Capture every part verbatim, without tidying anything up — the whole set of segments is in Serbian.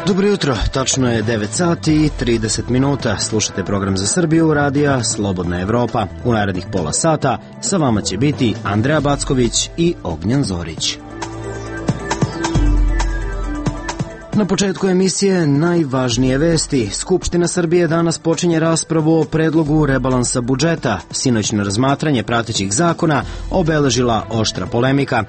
Dobro jutro, tačno je devet sati i trideset minuta. Slušate program za Srbiju, radija Slobodna Evropa. U narednih pola sata sa vama će biti Andreja Backović i Ognjen Zorić. Na početku emisije najvažnije vesti. Skupština Srbije danas počinje raspravu o predlogu rebalansa budžeta. Sinoćno razmatranje pratećih zakona obeležila oštra polemika.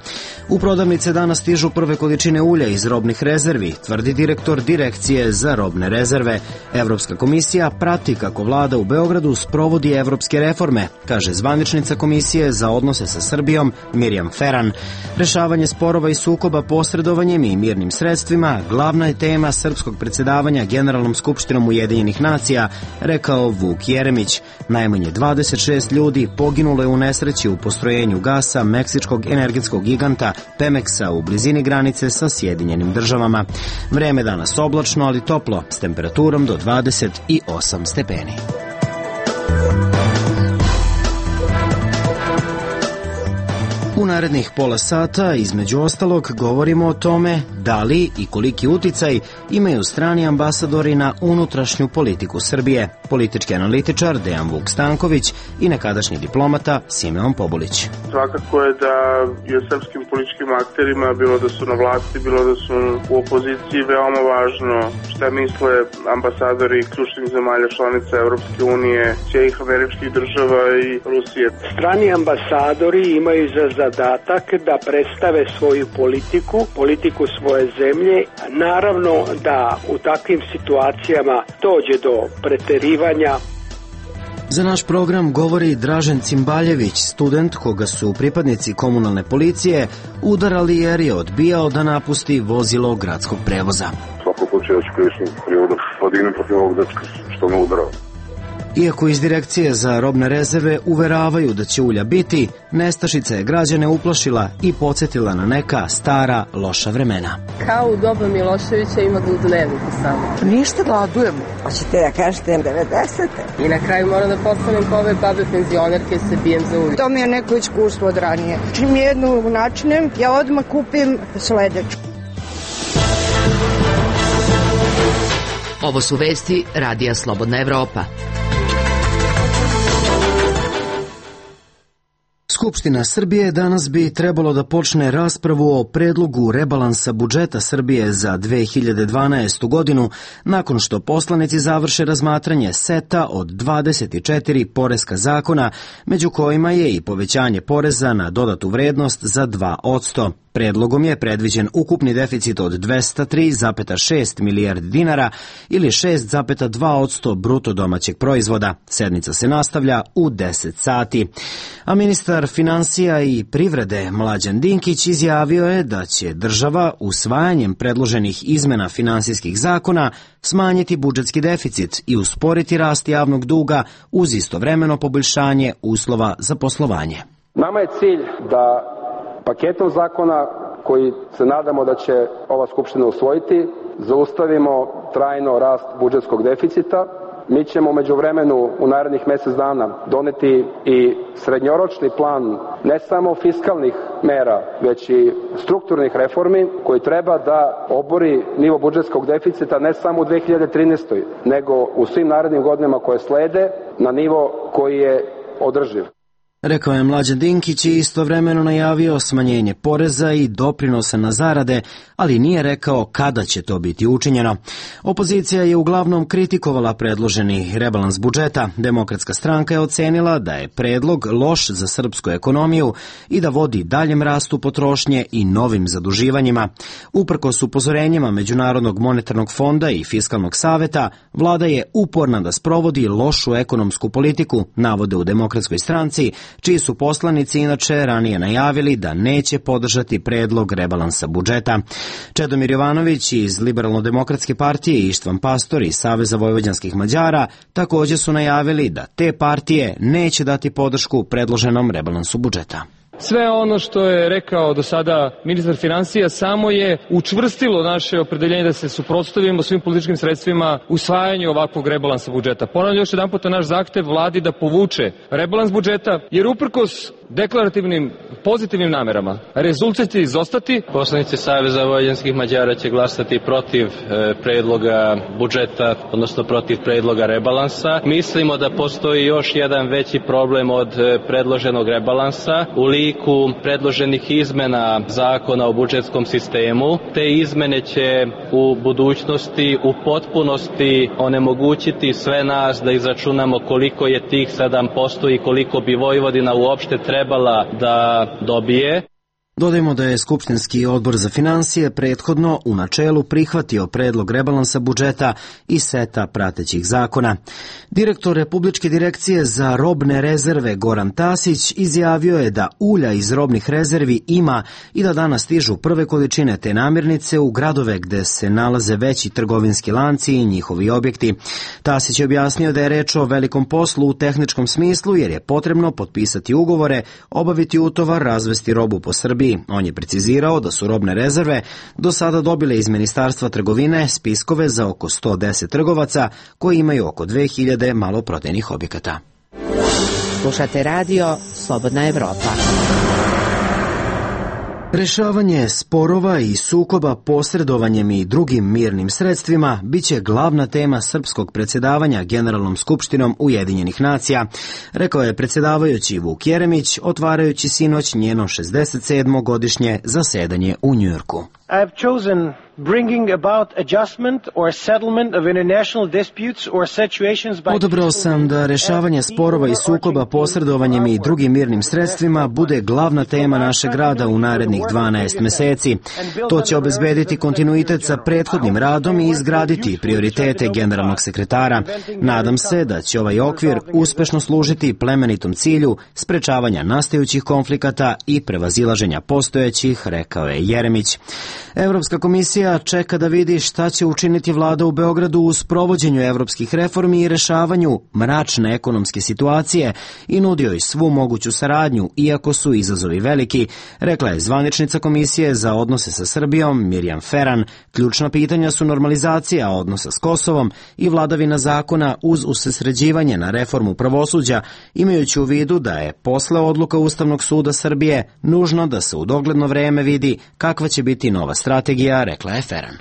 U prodavnice danas stižu prve količine ulja iz robnih rezervi, tvrdi direktor Direkcije za robne rezerve. Evropska komisija prati kako vlada u Beogradu sprovodi evropske reforme, kaže zvaničnica Komisije za odnose sa Srbijom Mirjam Feran. Rešavanje sporova i sukoba posredovanjem i mirnim sredstvima glavna je tema srpskog predsjedavanja Generalnom skupštinom Ujedinjenih nacija, rekao Vuk Jeremić. Najmanje dvadeset šest ljudi poginulo je u nesreći u postrojenju gasa meksičkog energetskog giganta Pemeksa u blizini granice sa Sjedinjenim državama. Vreme danas oblačno, ali toplo, s temperaturom do dvadeset osam stepeni. U narednih pola sata, između ostalog, govorimo o tome da li i koliki uticaj imaju strani ambasadori na unutrašnju politiku Srbije. Politički analitičar Dejan Vuk Stanković i nekadašnji diplomata Simeon Pobulić. Svakako je da i o srpskim političkim akterima, bilo da su na vlasti, bilo da su u opoziciji, veoma važno šta misle ambasadori ključnih zemalja članica Evropske unije, Sjedinjenih Američkih Država i Rusije. Strani ambasadori imaju za zadatak da predstave svoju politiku, politiku svoje zemlje. Naravno da u takvim situacijama dođe do preterivanja. Za naš program govori Dražen Cimbaljević, student koga su pripadnici komunalne policije udarali jer je odbijao da napusti vozilo gradskog prevoza. Svako slučaju ću krivičnu prijavu da podignem protiv ovog dečka što me udarao. Iako iz Direkcije za robne rezerve uveravaju da će ulja biti, nestašica je građane uplašila i podsjetila na neka stara, loša vremena. Kao u doba Miloševića ima ga u dnevniku samo. Ništa, gladujemo. Hoćete da kažete devedesete. I na kraju moram da postanem po ove babe penzionerke se bijem za ulje. To mi je neko iskustvo od ranije. Čim jednu načinem, ja odmah kupim sledeću. Ovo su vesti radija Slobodna Evropa. Skupština Srbije danas bi trebalo da počne raspravu o predlogu rebalansa budžeta Srbije za dve hiljade dvanaestu godinu nakon što poslanici završe razmatranje seta od dvadeset četiri poreska zakona, među kojima je i povećanje poreza na dodatu vrednost za dva posto. Predlogom je predviđen ukupni deficit od dvesta tri zarez šest milijardi dinara ili šest zarez dva posto bruto domaćeg proizvoda. Sednica se nastavlja u deset sati. A ministar finansija i privrede Mlađan Dinkić izjavio je da će država usvajanjem predloženih izmena finansijskih zakona smanjiti budžetski deficit i usporiti rast javnog duga uz istovremeno poboljšanje uslova za poslovanje. Nama je cilj da paketom zakona koji se nadamo da će ova Skupština usvojiti, zaustavimo trajno rast budžetskog deficita. Mi ćemo međuvremenu u narednih mjesec dana doneti i srednjoročni plan ne samo fiskalnih mera, već i strukturnih reformi koji treba da obori nivo budžetskog deficita ne samo u dve hiljade trinaestoj. nego u svim narednim godinama koje slede na nivo koji je održiv. Rekao je Mlađan Dinkić i istovremeno najavio smanjenje poreza i doprinosa na zarade, ali nije rekao kada će to biti učinjeno. Opozicija je uglavnom kritikovala predloženi rebalans budžeta. Demokratska stranka je ocenila da je predlog loš za srpsku ekonomiju i da vodi daljem rastu potrošnje i novim zaduživanjima. Uprkos upozorenjima Međunarodnog monetarnog fonda i Fiskalnog saveta, vlada je uporna da sprovodi lošu ekonomsku politiku, navode u Demokratskoj stranci, čiji su poslanici inače ranije najavili da neće podržati predlog rebalansa budžeta. Čedomir Jovanović iz Liberalno-demokratske partije i Ištvan Pastor iz Saveza vojvođanskih Mađara također su najavili da te partije neće dati podršku predloženom rebalansu budžeta. Sve ono što je rekao do sada ministar finansija samo je učvrstilo naše opredeljenje da se suprotstavimo svim političkim sredstvima usvajanju ovakvog rebalansa budžeta. Ponavljam još jedan puta naš zahtev vladi da povuče rebalans budžeta, jer uprkos deklarativnim pozitivnim namerama rezultat će izostati. Poslanici Saveza vojvođanskih Mađara će glasati protiv e, predloga budžeta, odnosno protiv predloga rebalansa. Mislimo da postoji još jedan veći problem od e, predloženog rebalansa u liku predloženih izmena zakona o budžetskom sistemu. Te izmene će u budućnosti u potpunosti onemogućiti sve nas da izračunamo koliko je tih sedam posto i koliko bi Vojvodina uopšte trebala da dobije. Dodajmo da je Skupštinski odbor za finansije prethodno u načelu prihvatio predlog rebalansa budžeta i seta pratećih zakona. Direktor Republičke direkcije za robne rezerve Goran Tasić izjavio je da ulja iz robnih rezervi ima i da danas stižu prve količine te namirnice u gradove gde se nalaze veći trgovinski lanci i njihovi objekti. Tasić je objasnio da je reč o velikom poslu u tehničkom smislu jer je potrebno potpisati ugovore, obaviti utovar, razvesti robu po Srbiji. On je precizirao da su robne rezerve do sada dobile iz Ministarstva trgovine spiskove za oko sto deset trgovaca koji imaju oko dve hiljade maloprodajnih objekata. Slušate radio Slobodna Evropa. Rešavanje sporova i sukoba posredovanjem i drugim mirnim sredstvima biće glavna tema srpskog predsjedavanja Generalnom skupštinom Ujedinjenih nacija, rekao je predsjedavajući Vuk Jeremić, otvarajući sinoć njeno šezdeset sedmo godišnje zasedanje u Njujorku. I have chosen bringing about adjustment or settlement of international disputes or situations by... Odabrao sam da rešavanje sporova i sukoba posredovanjem i drugim mirnim sredstvima bude glavna tema našeg rada u narednih dvanaest meseci. To će obezbediti kontinuitet sa prethodnim radom i izgraditi prioritete generalnog sekretara. Nadam se da će ovaj okvir uspešno služiti plemenitom cilju sprečavanja nastajućih konflikata i prevazilaženja postojećih, rekao je Jeremić. Evropska komisija čeka da vidi šta će učiniti vlada u Beogradu u sprovođenju evropskih reformi i rešavanju mračne ekonomske situacije i nudio i svu moguću saradnju, iako su izazovi veliki, rekla je zvaničnica Komisije za odnose sa Srbijom Mirjam Feran. Ključna pitanja su normalizacija odnosa s Kosovom i vladavina zakona uz usredsređivanje na reformu pravosuđa, imajući u vidu da je posle odluka Ustavnog suda Srbije nužno da se u dogledno vreme vidi kakva će biti nova strategija, rekla je Feran.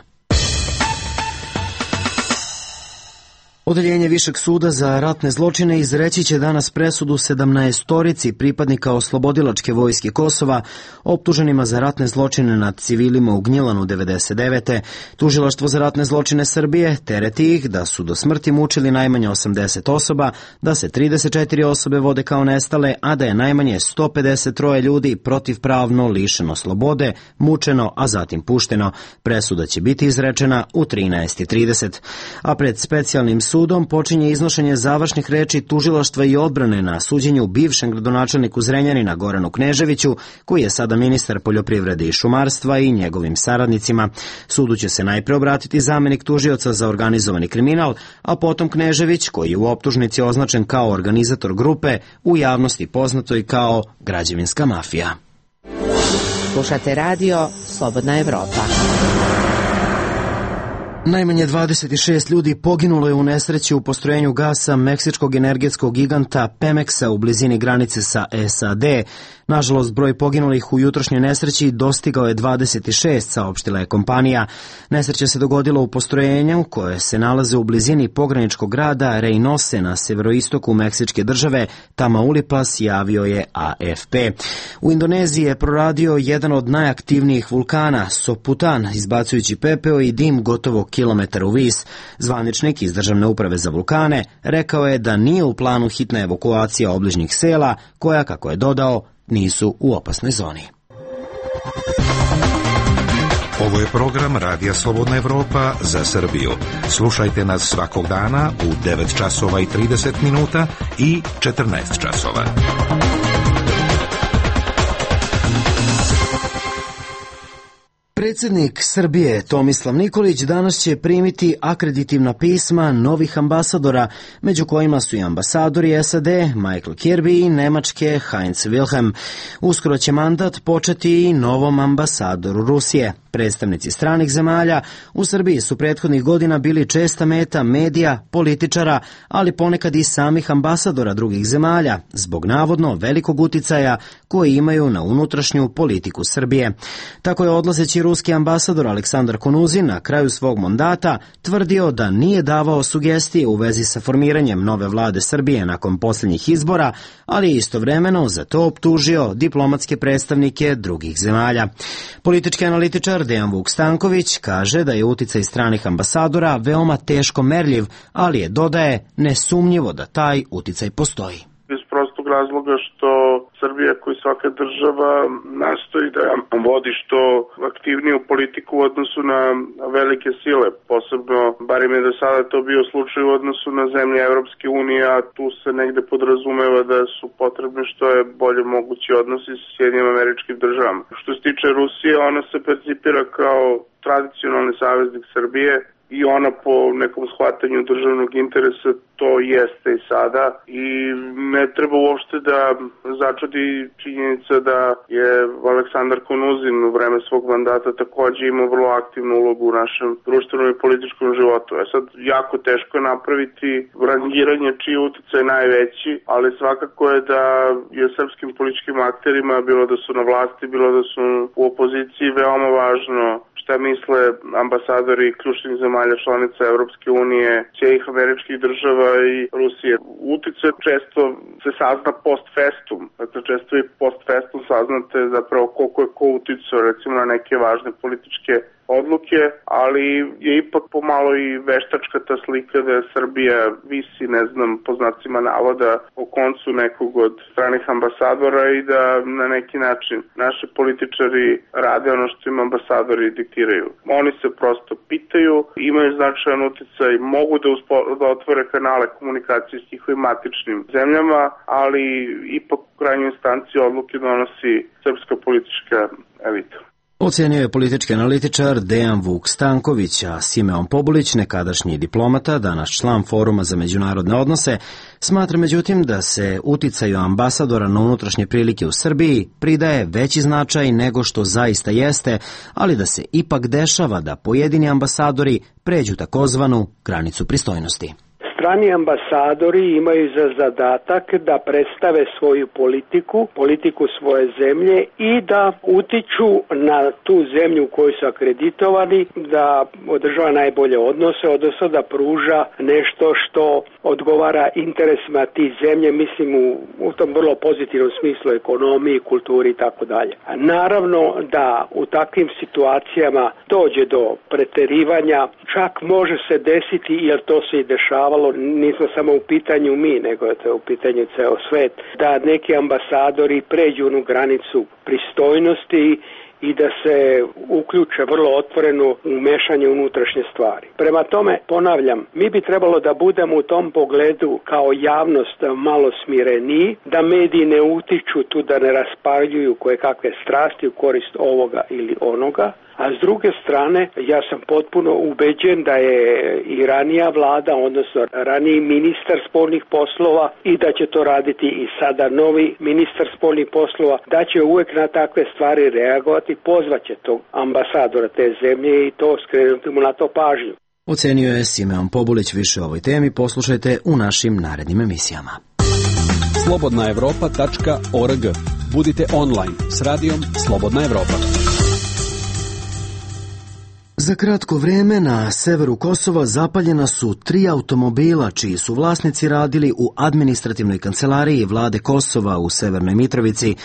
Odeljenje Višeg suda za ratne zločine izreći će danas presudu sedamnaestorici pripadnika oslobodilačke vojske Kosova optuženima za ratne zločine nad civilima u Gnjilanu devedeset devete. Tužilaštvo za ratne zločine Srbije tereti ih da su do smrti mučili najmanje osamdeset osoba, da se trideset četiri osobe vode kao nestale, a da je najmanje sto pedeset tri ljudi protivpravno lišeno slobode, mučeno, a zatim pušteno. Presuda će biti izrečena u trinaest i trideset. A pred specijalnim sudom Sudom počinje iznošenje završnih reči tužilaštva i odbrane na suđenju bivšem gradonačelniku Zrenjanina Goranu Kneževiću, koji je sada ministar poljoprivrede i šumarstva, i njegovim saradnicima. Sudu će se najpre obratiti zamenik tužioca za organizovani kriminal, a potom Knežević, koji je u optužnici označen kao organizator grupe, u javnosti poznatoj kao građevinska mafija. Slušate radio Slobodna Evropa. Najmanje dvadeset šest ljudi poginulo je u nesreći u postrojenju gasa meksičkog energetskog giganta Pemexa u blizini granice sa S A D. Nažalost, broj poginulih u jutrošnjoj nesreći dostigao je dvadeset šest, saopštila je kompanija. Nesreća se dogodila u postrojenju koje se nalaze u blizini pograničkog grada Reynose na severoistoku Meksičke države, Tamaulipas, javio je A F P. U Indoneziji je proradio jedan od najaktivnijih vulkana, Soputan, izbacujući pepeo i dim gotovo kilometar u vis. Zvaničnik iz Državne uprave za vulkane rekao je da nije u planu hitna evakuacija obližnjih sela, koja, kako je dodao, nisu u opasnoj zoni. Ovo je program Radija Slobodna Evropa za Srbiju. Slušajte nas svakog dana u devet časova i trideset minuta i četrnaest časova. Predsjednik Srbije Tomislav Nikolić danas će primiti akreditivna pisma novih ambasadora, među kojima su i ambasadori S A D Michael Kirby i Nemačke Heinz Wilhelm. Uskoro će mandat početi i novom ambasadoru Rusije. Predstavnici stranih zemalja u Srbiji su prethodnih godina bili česta meta medija, političara, ali ponekad i samih ambasadora drugih zemalja, zbog navodno velikog uticaja koji imaju na unutrašnju politiku Srbije. Tako je odlazeći ruski ambasador Aleksandar Konuzin na kraju svog mandata tvrdio da nije davao sugestije u vezi sa formiranjem nove vlade Srbije nakon posljednjih izbora, ali je istovremeno za to optužio diplomatske predstavnike drugih zemalja. Politički analitičar Dejan Vuk Stanković kaže da je uticaj stranih ambasadora veoma teško merljiv, ali je, dodaje, nesumnjivo da taj uticaj postoji. Iz prostog razloga što Srbija, kao i svaka država, nastoji da vodi što aktivniju politiku u odnosu na velike sile. Posebno, barim je do sada to bio slučaj u odnosu na zemlje Evropske unije, a tu se negde podrazumeva da su potrebni što je bolje mogući odnosi sa Sjedinjenim Američkim Državama. Što se tiče Rusije, ona se percipira kao tradicionalni saveznik Srbije, i ona po nekom shvatanju državnog interesa to jeste i sada i ne treba uopšte da začudi činjenica da je Aleksandar Konuzin u vreme svog mandata takođe imao vrlo aktivnu ulogu u našem društvenom i političkom životu. E sad, jako teško je napraviti rangiranje čiji uticaj je najveći, ali svakako je da je srpskim političkim akterima, bilo da su na vlasti, bilo da su u opoziciji, veoma važno šta misle ambasadori ključnih zemalja članica Evropske unije, Sjedinjenih Američkih Država i Rusije. Uticaj često se sazna post festum, dakle često i post festum saznate zapravo koliko je ko uticao recimo na neke važne političke odluke, ali je ipak pomalo i veštačka ta slika da je Srbija visi, ne znam, po znacima navoda o koncu nekog od stranih ambasadora i da na neki način naši političari rade ono što im ambasadori diktiraju. Oni se prosto pitaju, imaju značajan uticaj, mogu da, uspo, da otvore kanale komunikacije s njihovim matičnim zemljama, ali ipak u krajnjoj instanci odluke donosi srpska politička elita. Ocenio je politički analitičar Dejan Vuk Stanković, a Simeon Pobulić, nekadašnji diplomata, danas član Foruma za međunarodne odnose, smatra međutim da se uticaju ambasadora na unutrašnje prilike u Srbiji pridaje veći značaj nego što zaista jeste, ali da se ipak dešava da pojedini ambasadori pređu takozvanu granicu pristojnosti. Strani ambasadori imaju za zadatak da predstave svoju politiku, politiku svoje zemlje i da utiču na tu zemlju u kojoj su akreditovani, da održava najbolje odnose, odnosno da pruža nešto što odgovara interesima tih zemlje, mislim u, u tom vrlo pozitivnom smislu ekonomiji, kulturi i tako dalje. Naravno da u takvim situacijama dođe do preterivanja, čak može se desiti, jer to se i dešavalo, nismo samo u pitanju mi, nego je to u pitanju ceo svet, da neki ambasadori pređu onu granicu pristojnosti i da se uključe vrlo otvoreno u mešanje unutrašnje stvari. Prema tome, ponavljam, mi bi trebalo da budemo u tom pogledu kao javnost malo smireniji, da mediji ne utiču tu, da ne raspaljuju koje kakve strasti u korist ovoga ili onoga, a s druge strane, ja sam potpuno ubeđen da je i ranija vlada, odnosno raniji ministar spoljnih poslova i da će to raditi i sada novi ministar spoljnih poslova, da će uvek na takve stvari reagovati, pozvaće tog ambasadora te zemlje i to skrenuti mu na to pažnju. Ocenio je Simeon Pobulić. Više o ovoj temi poslušajte u našim narednim emisijama. slobodna evropa tačka org. Budite online s radijom Slobodna Evropa. Za kratko vreme na severu Kosova zapaljena su tri automobila čiji su vlasnici radili u administrativnoj kancelariji vlade Kosova u Severnoj Mitrovici.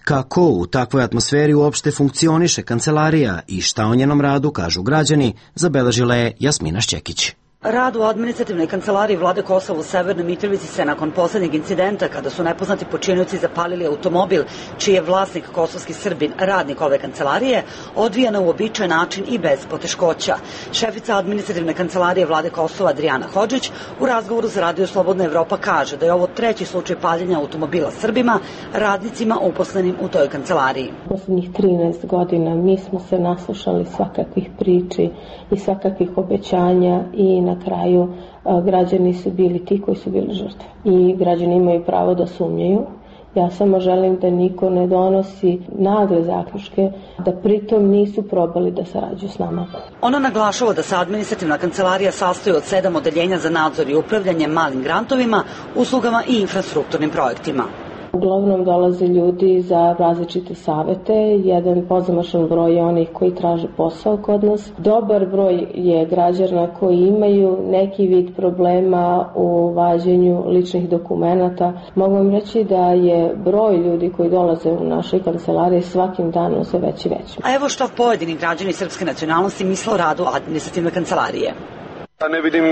Kako u takvoj atmosferi uopšte funkcioniše kancelarija i šta o njenom radu kažu građani, zabeležila je Jasmina Šćekić. Rad u administrativnoj kancelariji vlade Kosova u Severnoj Mitrovici se nakon poslednjeg incidenta, kada su nepoznati počinioci zapalili automobil čiji je vlasnik kosovski Srbin, radnik ove kancelarije, odvija na uobičajen način i bez poteškoća. Šefica administrativne kancelarije vlade Kosova Adrijana Hodžić u razgovoru za Radio Slobodna Evropa kaže da je ovo treći slučaj paljenja automobila Srbima, radnicima uposlenim u toj kancelariji. Poslednjih trinaest godina mi smo se naslušali svakakvih priči i svakakvih obećanja i na kraju a, građani su bili ti koji su bili žrtve. I građani imaju pravo da sumnjaju Ja samo želim da niko ne donosi nagle zaključke, da pritom nisu probali da sarađuju s nama. Ona naglašava da se administrativna kancelarija sastoji od sedam odeljenja za nadzor i upravljanje malim grantovima, uslugama i infrastrukturnim projektima. Uglavnom dolaze ljudi za različite savete, jedan pozamašan broj je onih koji traže posao kod nas. Dobar broj je građana koji imaju neki vid problema u vađenju ličnih dokumenata. Mogu vam reći da je broj ljudi koji dolaze u našoj kancelariji svakim danom sve veći i veći. A evo što pojedini građani srpske nacionalnosti misle o radu administrativne kancelarije. Ne vidim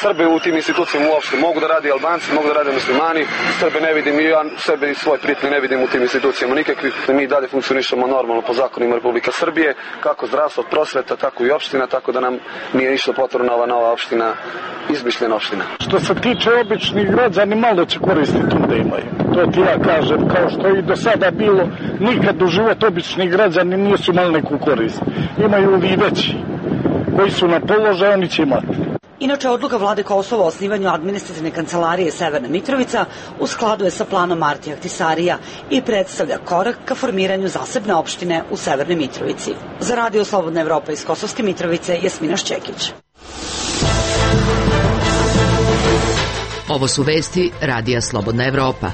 Srbe u tim institucijama uopšte. Mogu da radi Albanci, mogu da rade muslimani. Srbe ne vidim i ja sebe i svoje prijatelje ne vidim u tim institucijama nikakvih. Mi dalje funkcionišemo normalno po zakonima Republike Srbije, kako zdravstvo, prosveta, tako i opština, tako da nam nije ništa potrebna ova nova opština, izmišljena opština. Što se tiče običnih građani, malo će koristiti tu da imaju. To ti ja kažem, kao što i do sada bilo, nikad u život običnih građani nisu imali neku korist. Imaju i veći koji su na položaju, oni će imati. Inače, odluka vlade Kosova o osnivanju administrativne kancelarije Severna Mitrovica u skladu je sa planom Martija Ahtisarija i predstavlja korak ka formiranju zasebne opštine u Severnoj Mitrovici. Za Radio Slobodna Evropa iz Kosovske Mitrovice, Jasmina Šćekić. Ovo su vesti Radija Slobodna Evropa.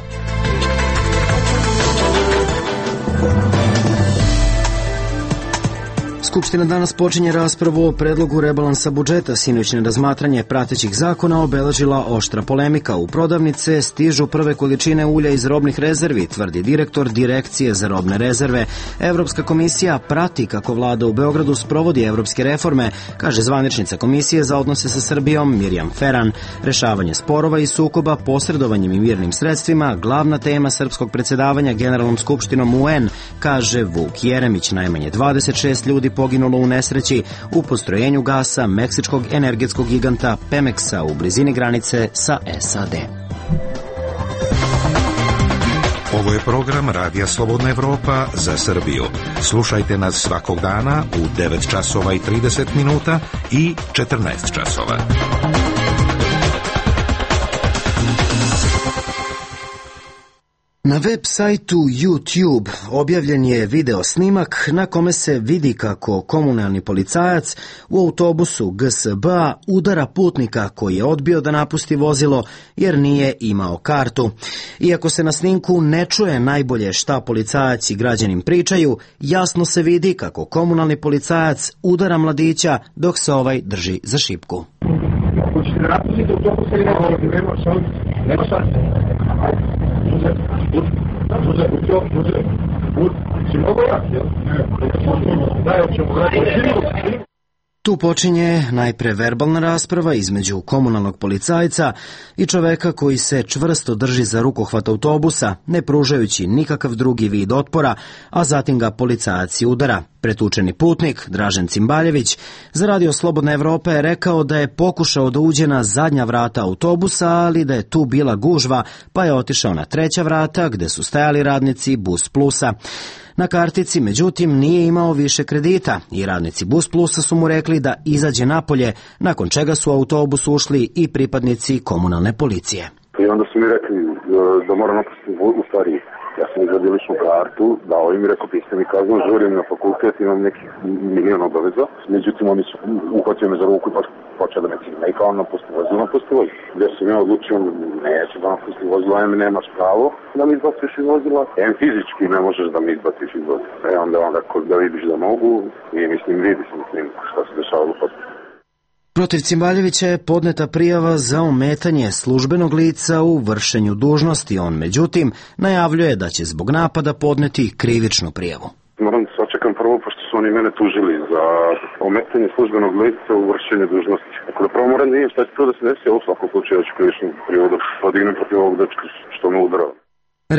Skupština danas počinje raspravu o predlogu rebalansa budžeta. Sinoćne razmatranje pratećih zakona obeležila oštra polemika. U prodavnice stižu prve količine ulja iz robnih rezervi, tvrdi direktor Direkcije za robne rezerve. Evropska komisija prati kako vlada u Beogradu sprovodi evropske reforme, kaže zvaničnica Komisije za odnose sa Srbijom Mirjam Feran. Rešavanje sporova i sukoba posredovanjem i mirnim sredstvima glavna tema srpskog predsjedavanja Generalnom skupštinom U N, kaže Vuk Jeremić. Najmanje dvadeset šest ljudi poginulo u nesreći u postrojenju gasa meksičkog energetskog giganta Pemexa u blizini granice sa S A D. Ovo je program Radija Slobodna Evropa za Srbiju. Slušajte nas svakog dana u devet časova i trideset minuta i četrnaest časova. Na web sajtu YouTube objavljen je video snimak na kome se vidi kako komunalni policajac u autobusu G S B-a udara putnika koji je odbio da napusti vozilo jer nije imao kartu. Iako se na snimku ne čuje najbolje šta policajac i građanin pričaju, jasno se vidi kako komunalni policajac udara mladića dok se ovaj drži za šipku. Tu počinje najpre verbalna rasprava između komunalnog policajca i čoveka koji se čvrsto drži za rukohvat autobusa, ne pružajući nikakav drugi vid otpora, a zatim ga policajac i udara. Pretučeni putnik, Dražen Cimbaljević, za Radio Slobodna Evropa je rekao da je pokušao da uđe na zadnja vrata autobusa, ali da je tu bila gužva, pa je otišao na treća vrata gde su stajali radnici Bus Plusa. Na kartici, međutim, nije imao više kredita i radnici Bus Plusa su mu rekli da izađe napolje, nakon čega su u autobus ušli i pripadnici komunalne policije. I onda su mi rekli da moram napustiti u stvari. Ja sam izvadio ličnu kartu, dao im i rekao, pisite mi kaznu, žurim na fakultet, imam nekih milijon obaveza. Međutim, oni su uhvatili me za ruku i počeo da me cima. I kao napusti vozilo, napusti vozilo. Gdje sam ja odlučio, neću da napusti vozilo, em nemaš pravo da mi izbaciš iz vozila, em fizički ne možeš da mi izbaciš iz vozila. E onda onda da vidiš da mogu i mislim, vidi se mislim šta se dešavalo pod. Protiv Cimbaljevića je podneta prijava za ometanje službenog lica u vršenju dužnosti. On, međutim, najavljuje da će zbog napada podneti krivičnu prijavu. Moram da se očekam prvo, pošto su oni mene tužili za ometanje službenog lica u vršenju dužnosti. Tako da prvo moram da vidim šta će to da se desi, a u svakom slučaju da ću krivičnu prijavu da podignem protiv ovog dečka što me udarao.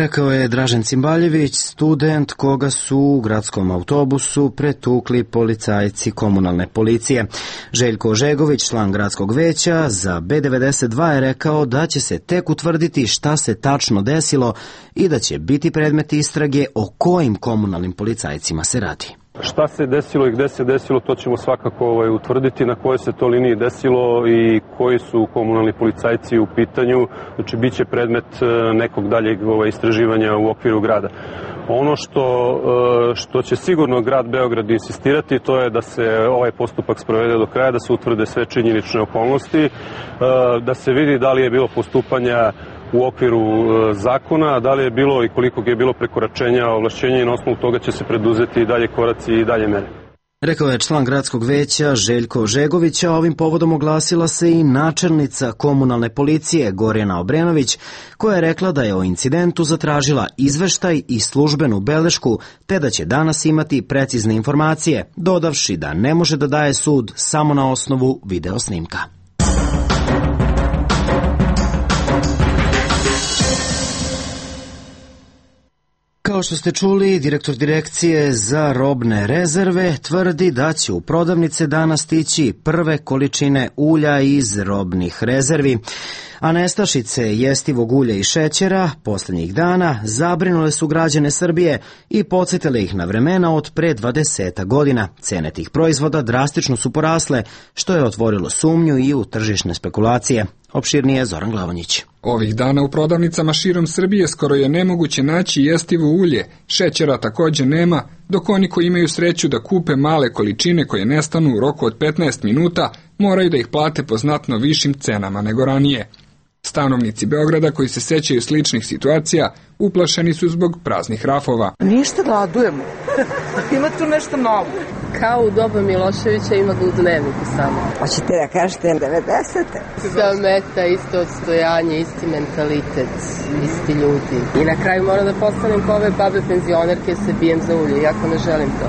Rekao je Dražen Cimbaljević, student koga su u gradskom autobusu pretukli policajci komunalne policije. Željko Ožegović, član gradskog veća za B devedeset dva, je rekao da će se tek utvrditi šta se tačno desilo i da će biti predmet istrage o kojim komunalnim policajcima se radi. Šta se desilo i gde se desilo, to ćemo svakako ovaj, utvrditi, na kojoj se to liniji desilo i koji su komunalni policajci u pitanju. Znači, bit će predmet nekog daljeg ovaj, istraživanja u okviru grada. Ono što, što će sigurno grad Beograd insistirati, to je da se ovaj postupak sprovede do kraja, da se utvrde sve činjenične okolnosti, da se vidi da li je bilo postupanja u okviru zakona, da li je bilo i koliko je bilo prekoračenja ovlašćenja i na osnovu toga će se preduzeti i dalje koraci i dalje mere. Rekao je član gradskog veća Željko Žegović, a ovim povodom oglasila se i načelnica komunalne policije Gorjana Obrenović, koja je rekla da je o incidentu zatražila izveštaj i službenu belešku, te da će danas imati precizne informacije, dodavši da ne može da daje sud samo na osnovu video snimka. Kao što ste čuli, direktor direkcije za robne rezerve tvrdi da će u prodavnice danas stići prve količine ulja iz robnih rezervi, a nestašice jestivog ulja i šećera poslednjih dana zabrinule su građane Srbije i podsjetile ih na vremena od pre dvadeset godina. Cene tih proizvoda drastično su porasle, što je otvorilo sumnju i u tržišne spekulacije. Opširnije Zoran Glavonjić. Ovih dana u prodavnicama širom Srbije skoro je nemoguće naći jestivo ulje, šećera takođe nema, dok oni koji imaju sreću da kupe male količine koje nestanu u roku od petnaest minuta, moraju da ih plate po znatno višim cenama nego ranije. Stanovnici Beograda koji se sećaju sličnih situacija uplašeni su zbog praznih rafova. Ništa, gladujemo. Ima tu nešto novo. Kao u doba Miloševića ima ga u dnevniku samo. Hoćete da kažete devedesete? Sva meta, isto odstojanje, isti mentalitet, isti ljudi. I na kraju moram da postanem kao ove babe penzionerke, se bijem za ulje, iako ne želim to.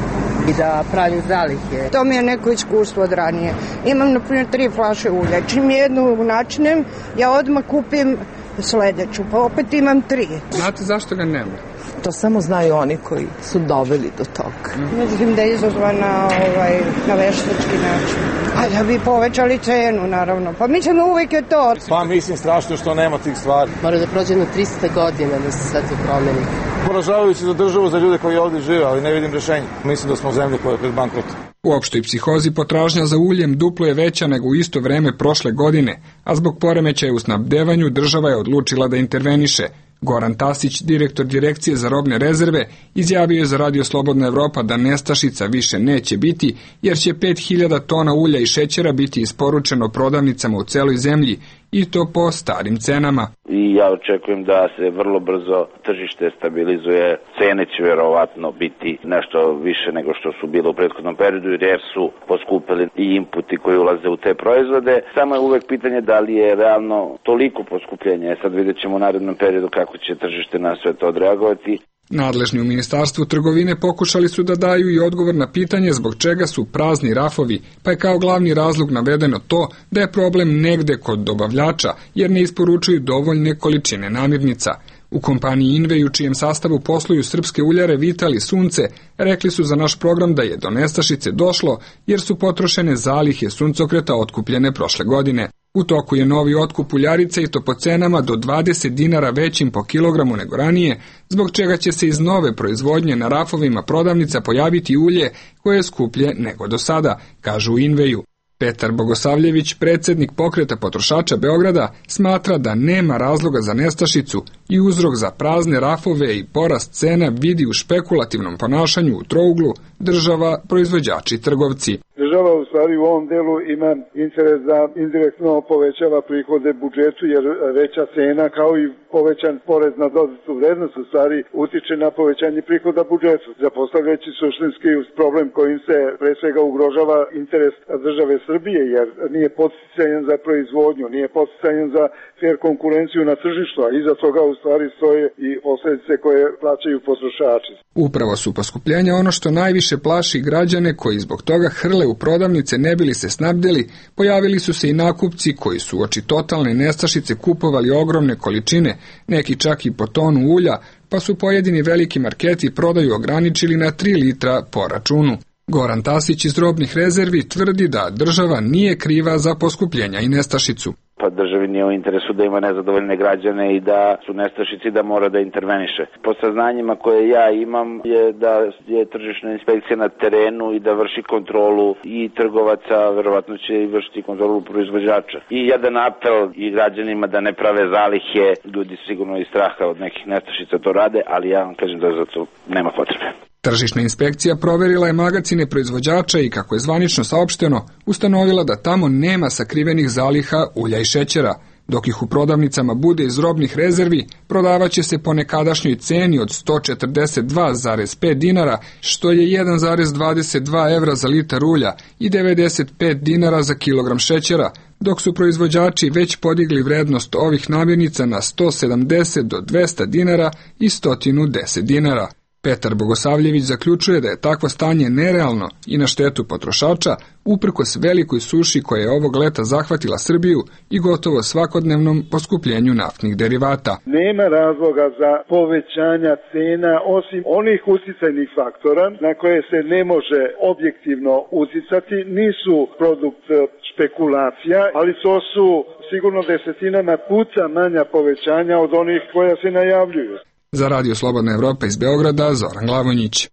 I da pravim zalihe. To mi je neko iskustvo od ranije. Imam, na primjer, tri flaše ulja. Čim jednu načinem, ja odmah kupim sledeću, pa opet imam tri. Znate zašto ga nema? To samo znaju oni koji su doveli do toga. Mislim da je izazvana ovaj, na veštački način. A da bi povećali cenu, naravno. Pa mislim da uvek je to. Pa mislim strašno što nema tih stvari. Mora da prođe na trista godina da se sve to promeni. Poražavajući za državu, za ljude koji ovdje žive, ali ne vidim rešenje. Mislim da smo u zemlji koja je pred bankrotom. U opštoj psihozi potražnja za uljem duplo je veća nego u isto vreme prošle godine, a zbog poremećaja u snabdevanju država je odlučila da interveniše. Goran Tasić, direktor direkcije za robne rezerve, izjavio je za Radio Slobodna Evropa da nestašica više neće biti, jer će pet hiljada tona ulja i šećera biti isporučeno prodavnicama u celoj zemlji, i to po starim cenama. I ja očekujem da se vrlo brzo tržište stabilizuje, cene će verovatno biti nešto više nego što su bile u prethodnom periodu, jer su poskupili i inputi koji ulaze u te proizvode. Samo je uvek pitanje da li je realno toliko poskupljenje. Sad vidjet ćemo u narednom periodu kako će tržište na sve to odreagovati. Nadležni u Ministarstvu trgovine pokušali su da daju i odgovor na pitanje zbog čega su prazni rafovi, pa je kao glavni razlog navedeno to da je problem negde kod dobavljača, jer ne isporučuju dovoljne količine namirnica. U kompaniji Invej, u čijem sastavu posluju srpske uljare Vital i Sunce, rekli su za naš program da je do nestašice došlo jer su potrošene zalihe suncokreta otkupljene prošle godine. U toku je novi otkup uljarice i to po cenama do dvadeset dinara većim po kilogramu nego ranije, zbog čega će se iz nove proizvodnje na rafovima prodavnica pojaviti ulje koje je skuplje nego do sada, kažu u Inveju. Petar Bogosavljević, predsednik pokreta potrošača Beograda, smatra da nema razloga za nestašicu i uzrok za prazne rafove i porast cena vidi u špekulativnom ponašanju u trouglu država, proizvođači i trgovci. Država u stvari u ovom delu ima interes da indirektno povećava prihode budžetu, jer veća cena kao i povećan porez na dodatu vrednost u stvari utiče na povećanje prihoda budžetu, zapostavljajući suštinski problem kojim se pre svega ugrožava interes države Srbije, jer nije podsticajan za proizvodnju, nije podsticajan za fair konkurenciju na tržištu, a iza toga u stvari stoje i posledice koje plaćaju potrošači. Upravo su poskupljenja ono što najviše plaši građane koji zbog toga hrle u prodavnice ne bili se snabdeli. Pojavili su se i nakupci koji su oči totalne nestašice kupovali ogromne količine, neki čak i po tonu ulja, pa su pojedini veliki marketi prodaju ograničili na tri litra po računu. Goran Tasić iz robnih rezervi tvrdi da država nije kriva za poskupljenja i nestašicu. pa državi nije u interesu da ima nezadovoljne građane i da su nestašici da mora da interveniše. Po saznanjima koje ja imam je da je tržišna inspekcija na terenu i da vrši kontrolu i trgovaca, verovatno će i vršiti kontrolu proizvođača. I jedan apel i građanima da ne prave zalihe, ljudi sigurno iz straha od nekih nestašica to rade, ali ja vam kažem da za to nema potrebe. Tržišna inspekcija proverila je magacine proizvođača i, kako je zvanično saopšteno, ustanovila da tamo nema sakrivenih zaliha ulja i šećera. Dok ih u prodavnicama bude iz robnih rezervi, prodavaće se po nekadašnjoj ceni od sto četrdeset dva zarez pet dinara, što je jedan zarez dvadeset dva evra za litar ulja i devedeset pet dinara za kilogram šećera, dok su proizvođači već podigli vrednost ovih namirnica na sto sedamdeset do dvesta dinara i sto deset dinara. Petar Bogosavljević zaključuje da je takvo stanje nerealno i na štetu potrošača, uprkos velikoj suši koja je ovog leta zahvatila Srbiju i gotovo svakodnevnom poskupljenju naftnih derivata. Nema razloga za povećanja cena osim onih uticajnih faktora na koje se ne može objektivno uticati, nisu produkt špekulacija, ali to su sigurno desetinama puta manja povećanja od onih koja se najavljuju. Za Radio Slobodna Evropa iz Beograda, Zoran Glavonjić.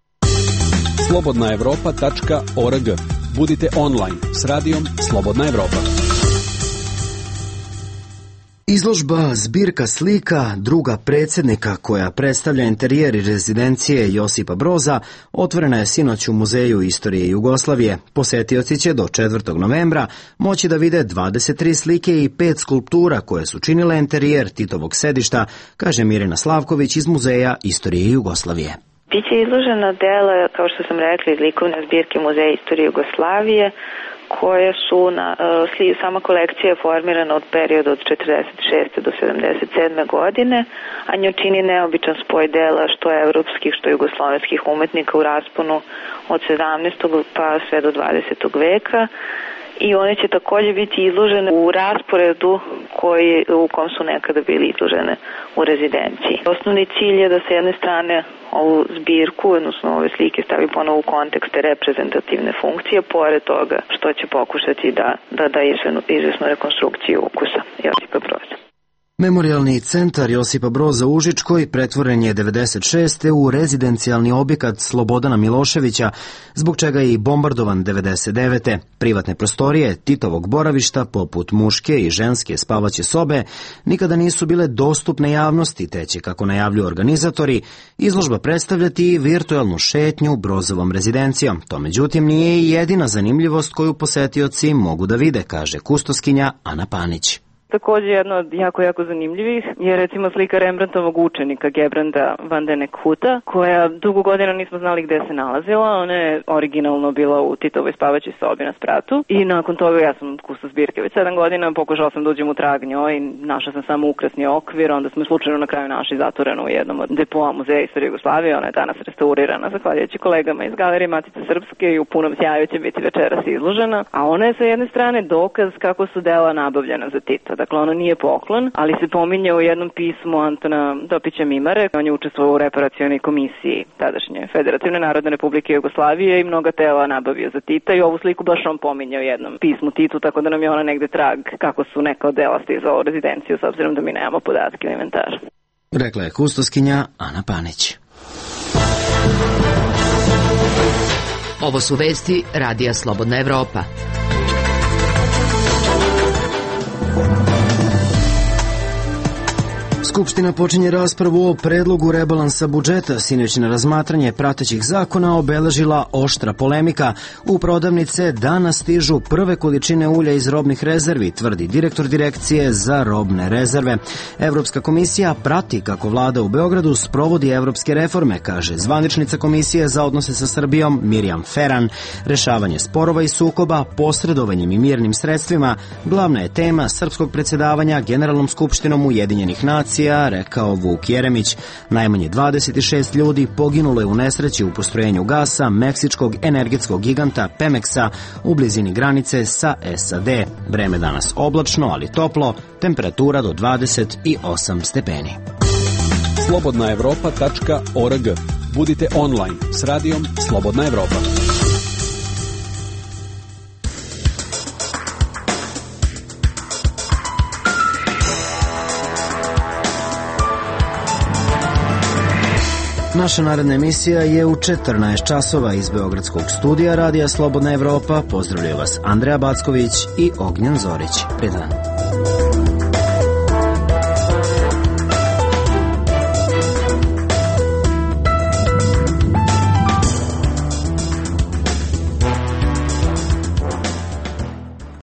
slobodna evropa tačka org. Budite online s radijom Slobodna Evropa. Izložba Zbirka slika druga predsjednika, koja predstavlja interijer i rezidencije Josipa Broza, otvorena je sinoć u Muzeju istorije Jugoslavije. Posetioci će do četvrtog novembra moći da vide dvadeset tri slike i pet skulptura koje su činile interijer Titovog sedišta, kaže Mirjana Slavković iz Muzeja istorije Jugoslavije. Biće izložena dela, kao što sam rekla, iz likovne zbirke Muzeja istorije Jugoslavije, koje su na, uh, sama kolekcija je formirana od perioda od četrdeset šeste do sedamdeset sedme godine, a nju čini neobičan spoj dela što evropskih, što jugoslovenskih umetnika u rasponu od sedamnaestog pa sve do dvadesetog veka. I one će također biti izložene u rasporedu koji, u kom su nekada bili izložene u rezidenciji. Osnovni cilj je da sa jedne strane ovu zbirku, odnosno ove slike, stavi ponovo u kontekste reprezentativne funkcije, pored toga što će pokušati da da, da izvesnu rekonstrukciju ukusa Josipa Broza. Memorijalni centar Josipa Broza u Užičkoj pretvoren je devedeset šeste u rezidencijalni objekat Slobodana Miloševića, zbog čega je i bombardovan devedeset devete Privatne prostorije Titovog boravišta, poput muške i ženske spavaće sobe, nikada nisu bile dostupne javnosti, te će, kako najavljuju organizatori, izložba predstavljati virtualnu šetnju Brozovom rezidencijom. To, međutim, nije i jedina zanimljivost koju posetioci mogu da vide, kaže kustoskinja Ana Panić. Također jedna od jako, jako zanimljivih je recimo slika Rembrandtovog učenika Gebranda van den Huta, koja dugo godina nismo znali gde se nalazila. Ona je originalno bila u Titovoj spavaćoj sobi na spratu i nakon toga ja sam kustos zbirke već sedam godina, pokušala sam da uđem u trag njoj i našla sam samo ukrasni okvir, onda smo slučajno na kraju našli zatvorenu u jednom od depoa Muzeja istorije Jugoslavije. Ona je danas restaurirana zahvaljujući kolegama iz Galerije Matice Srpske i u punom sjaju će biti večeras izložena, a ona je sa jedne strane dokaz kako su dela nabavljena za Tita. Dakle, ono nije poklon, ali se pominje u jednom pismu Antona Topića Mimare. On je učestvovao u reparacionoj komisiji tadašnje Federativne Narodne Republike Jugoslavije i mnoga tela nabavio za Tita i ovu sliku baš on pominje u jednom pismu Titu, tako da nam je ona negde trag kako su neka od dela stizala u rezidenciju, s obzirom da mi nemamo podatke u inventaru. Rekla je kustoskinja Ana Panić. Ovo su vesti Radija Slobodna Evropa. Skupština počinje raspravu o predlogu rebalansa budžeta. Sinoćno razmatranje pratećih zakona obeležila oštra polemika. U prodavnice danas stižu prve količine ulja iz robnih rezervi, tvrdi direktor direkcije za robne rezerve. Evropska komisija prati kako vlada u Beogradu sprovodi evropske reforme, kaže zvaničnica Komisije za odnose sa Srbijom Mirjam Feran. Rešavanje sporova i sukoba posredovanjem i mirnim sredstvima glavna je tema srpskog predsjedavanja Generalnom skupštinom Ujedinjenih nacija, rekao Vuk Jeremić. Najmanje dvadeset šest ljudi poginulo je u nesreći u postrojenju gasa meksičkog energetskog giganta Pemeksa u blizini granice sa S A D. Vreme danas oblačno, ali toplo, temperatura do dvadeset osam stepeni. slobodna evropa tačka org. Budite online s radijom Slobodna Evropa. Naša naredna emisija je u četrnaest časova iz Beogradskog studija Radija Slobodna Evropa. Pozdravljaju vas Andreja Backović i Ognjen Zorić. Prijetan.